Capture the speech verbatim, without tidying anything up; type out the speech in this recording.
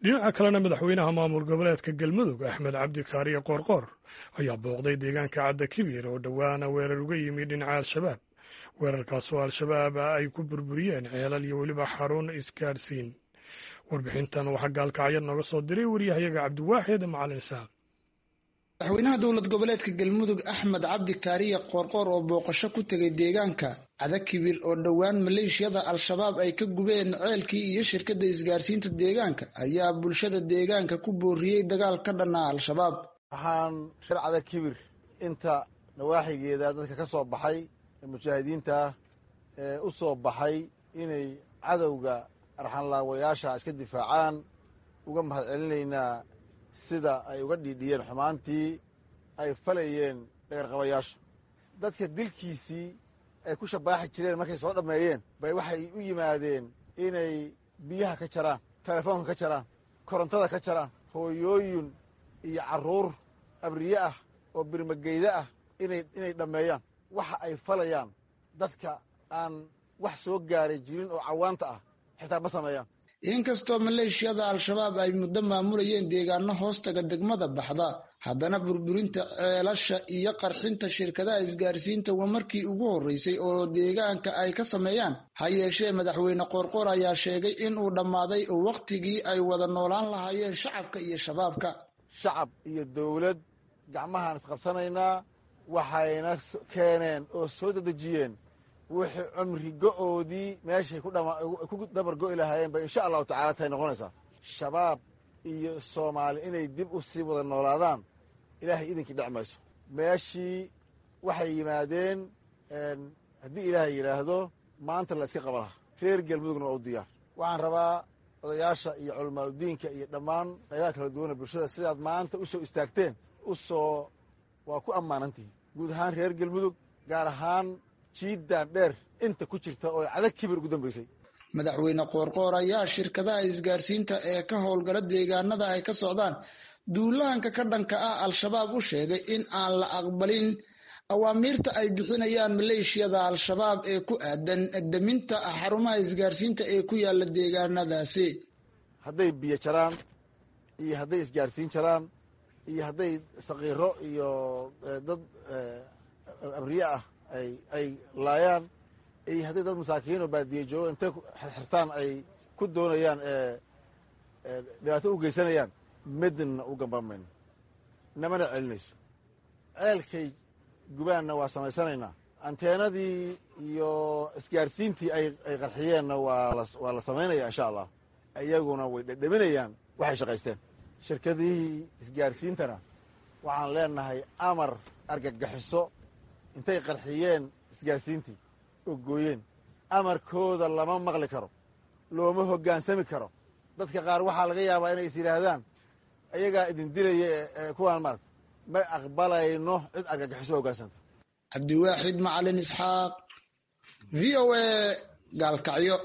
Dhinaca kalena, madaxweynaha maamul goboleedka Galmudug, Axmed Cabdi Kaariye Qoorqoor, ayaa booqday deegaanka Cadda Kibir oo dhowaana weerar uga yimi dhinaca Al-Shabaab, weerarkaasoo Al-Shabaab ay ku burburiyeen ceelal iyo weliba xarun isgaadhsiin. Warbixintan waxaa Gaalkacyo nooga soo diray wariyahayaga Cabdiwaaxid Macalin Isaaq. Madaxweynaha dowlad goboleedka Galmudug, Axmed Cabdi Kaariye Qoorqoor, oo booqasho ku tegay deegaanka Cadakibir oo dhowaan maleeshiyada Al-Shabaab ay ka gubeen ceelkii iyo shirkadda isgaarsiinta deegaanka, ayaa bulshada deegaanka ku booriyey dagaal ka dhanaa Al-Shabaab. Waxaan reer Cadakibir inta nawaaxigeeda dadka ka soo baxay ee mujaahidiinta ee u soo baxay inay cadowga arxanlaawayaasha iska difaacaan uga mahad celinaynaa sida ay uga dhiidhiyeen xumaantii ay falayeen dhagarqabayaasha. Dadka dilkiisii ay ku shabaaxi jireen markay soo dhammeeyeen bay waxay u yimaadeen inay biyaha ka jaraan, telefoonka ka jaraan, korontada ka jaraan, hooyooyin iyo carruur abriye ah oo birmageyda ah inay inay dhammeeyaan. Waxa ay falayaan dadka aan wax soo gaaray jirin oo cawaanta ah xitaa ma sameeyaan. Inkastoo maleeshiyada Al-Shabaab ay muddo maamulayeen deegaano hoostaga degmada Baxda, haddana burburinta ceelasha iyo qarxinta shirkadaha isgaarsiinta waa markii ugu horreysay oo deegaanka ay ka sameeyaan. Ha yeeshee, madaxweyne Qoorqoor ayaa sheegay in uu dhammaaday wakhtigii ay wada noolaan lahaayeen shacabka iyo Shabaabka. Shacab iyo dowlad gacmahaan isqabsanaynaa. Waxayna keeneen oo soo dedejiyeen wixii cumri go'oodii meeshay ku dabar go'i lahaayeen bay insha Allahu tacala tahay noqonaysaa. Shabaab iyo Soomaali inay dib u sii wada noolaadaan Ilaahay idinkii dhec mayso. Meeshii waxay yimaadeen, haddii Ilaahay yidhaahdo, maanta la iska qaba lahaa. Reer Galmudugna waa u diyaar. Waxaan rabaa odayaasha iyo culamaadudiinka iyo dhammaan qaybaha kala duwana bulshada, sidaad maanta u soo istaagteen u soo waa ku ammaanantihiin, guud ahaan reer Galmudug, gaar ahaan jiiddaan dheer inta ku jirta oo Cadag Kibir ugu dambaysay. Madaxweyne Qoorqoor ayaa shirkadaha isgaarsiinta ee ka howlgala deegaanada ay ka socdaan duulaanka ka dhanka ah Al-Shabaab u sheegay in aan la aqbalin awaamiirta ay bixinayaan maleeshiyada Al-Shabaab ee ku aadan daminta xarumaha isgaarsiinta ee ku yaala deegaanadaasi. Hadday biyo jaraan iyo hadday isgaarsiin jaraan iyo hadday sakiiro iyo dad abriye ah ay ay laayaan iyo hadday dad masaakiin oo baadiye joogo intay xirxirtaan ay ku doonayaan dhibaato u geysanayaan, midna u gambamayno, namana celinayso. Ceelkay gubaanna waa samaysanaynaa, anteenadii iyo isgaarsiintii ay ay qarxiyeenna waa la waa la samaynaya insha Allah. Iyaguna way dhedheminayaan waxay shaqaysteen. Shirkadihii isgaarsiintana waxaan leenahay amar argagaxiso intay qarxiyeen isgaarsiintii oo gooyeen, amarkooda lama maqli karo, looma hoggaansami karo. Dadka qaar waxaa laga yaabaa inay is yidhaahdaan ayagaa idin dilaya kuwaan maarata. Ma aqbalayno cid argagixiso hoggaansanta. Cabdiwaaxid Macalin Isxaaq, V O A, Gaalkacyo.